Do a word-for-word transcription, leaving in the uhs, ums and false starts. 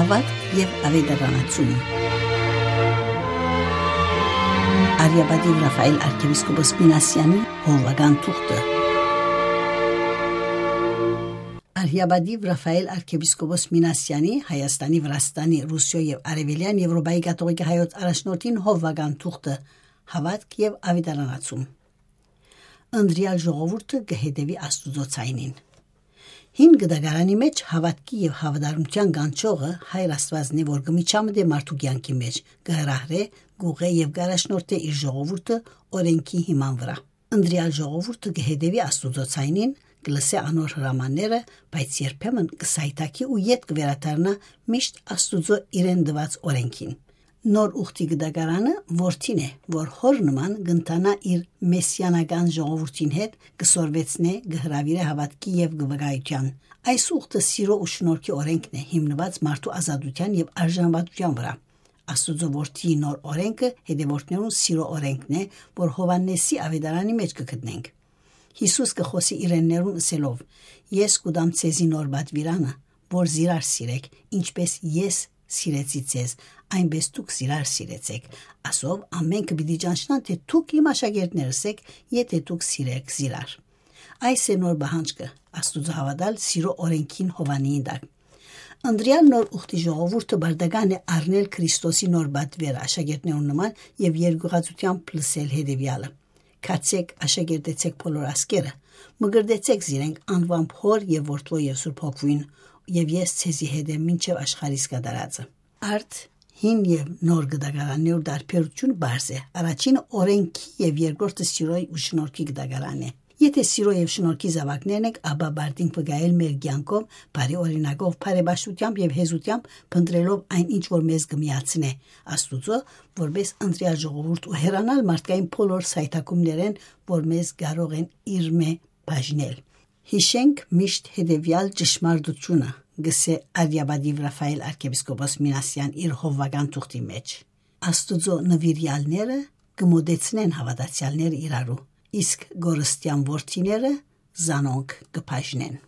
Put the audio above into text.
Հավատ եւ ավետարանացում։ Արիաբադի Ռաֆայել arczepiskopos Մինասյանի հովվական թուղթը։ Արիաբադի Ռաֆայել arczepiskopos Մինասյանի Հայաստանի, Վրաստանի, Ռուսիա եւ Արևելյան Եվրոպայի կաթողիկ հայոց առաջնորդին հովվական թուղթը Հավատք եւ ավետարանացում։ Անդրիալ ժողովուրդը կհետևի Աստուծո ցայնին։ Հին գդագարանի մեջ հավատքի եւ հավատարմության գանչողը Հայր Աստվածն է, որ գմիչամդե մարդու կյանքի մեջ գհրահրե, գուղե եւ գարաշնորհտե իր ժողովուրդը օրենքի հիման վրա։ Անդրիալ ժողովուրդը կհետևի Աստուծո ցայնին, կլսե անոր հրամանները, բայց երբեմն կսայթակի ու յետ կվերադառնա միշտ Աստուծո իրեն դված օրենքին։ Նոր ուխտի գդագարանը որդին է, որ հոր նման գնտանա իր մեսիանական ժողովրդին հետ, կսորվեցնե, գհրավիրե հավատքի եւ գվգայության։ Այս ուխտը սիրո ու շնորհքի օրենքն է, հիմնված մարդու ազատության եւ արժանապատվության վրա։ Աստուծո որդի նոր օրենքը հետևորդներուն սիրո օրենքն է, որ Հովհաննեսի ավետարանի մեջ կգտնենք։ Հիսուս կխոսի իրեններուն ասելով. Ես կուդամ ցեզի նոր բադվիրանը, որ զիրար սիրեք, ինչպես ես սիրեցի ցեզ, այնպես դուք զիրար սիրեցեք։ Ասով ամեն կպիտի ճանչնան, թե դուք իմ աշակերտներս եք, եթե դուք սիրեք զիրար։ Այս է նոր բանջկը, Աստուծո հավատալ սիրո օրենքին Հովանիին դակ։ Անդրիալ նոր ուխտի ժողովուրդը բարդական է առնել Քրիստոսի նոր բադվերը աշակերտներուն նման եւ երկյուղածությամբ պլսել հետեւյալը։ Քացեք, աշակերտեցեք բոլոր ասկերը, մգրդեցեք զիրենք անվամբ հոր եւ որդվո եւ սուրբ հոգվին, եւ ես ցեզի հետ եմ մինչեւ աշխարհիս կդարածը։ Արդ հին եւ նոր գդագարաններ դարբերություն բարձ է։ Առաջինը օրենքի եւ երկրորդը սիրոյի ու շնորհքի գդագարանն է։ Եթե սիրո եւ շնորհքի զավակներն եք, ապա բարդին կգայել մեր կյանքով, բարի օրինակով, բարեբաշխությամբ եւ հեզությամբ, փնտրելով այն ինչ որ մեզ կմիացնե Աստուծո, որպես ընտրյալ ժողովուրդ ու հեռանալ մարդկային բոլոր սայթակումներեն, որ մեզ կարող են իր մե բաժնել։ Հիշենք միշտ հետևյալ ճշմարտությունը, գսե Արիաբադի Ռաֆայել arczepiskopos Մինասյան իր հովվական թուղթի մեջ։ Աստուծո նվիրյալները կմոդեցնեն հավատացյալները իրարու, իսկ գորստյան որդիները զանոնք կբաժնեն։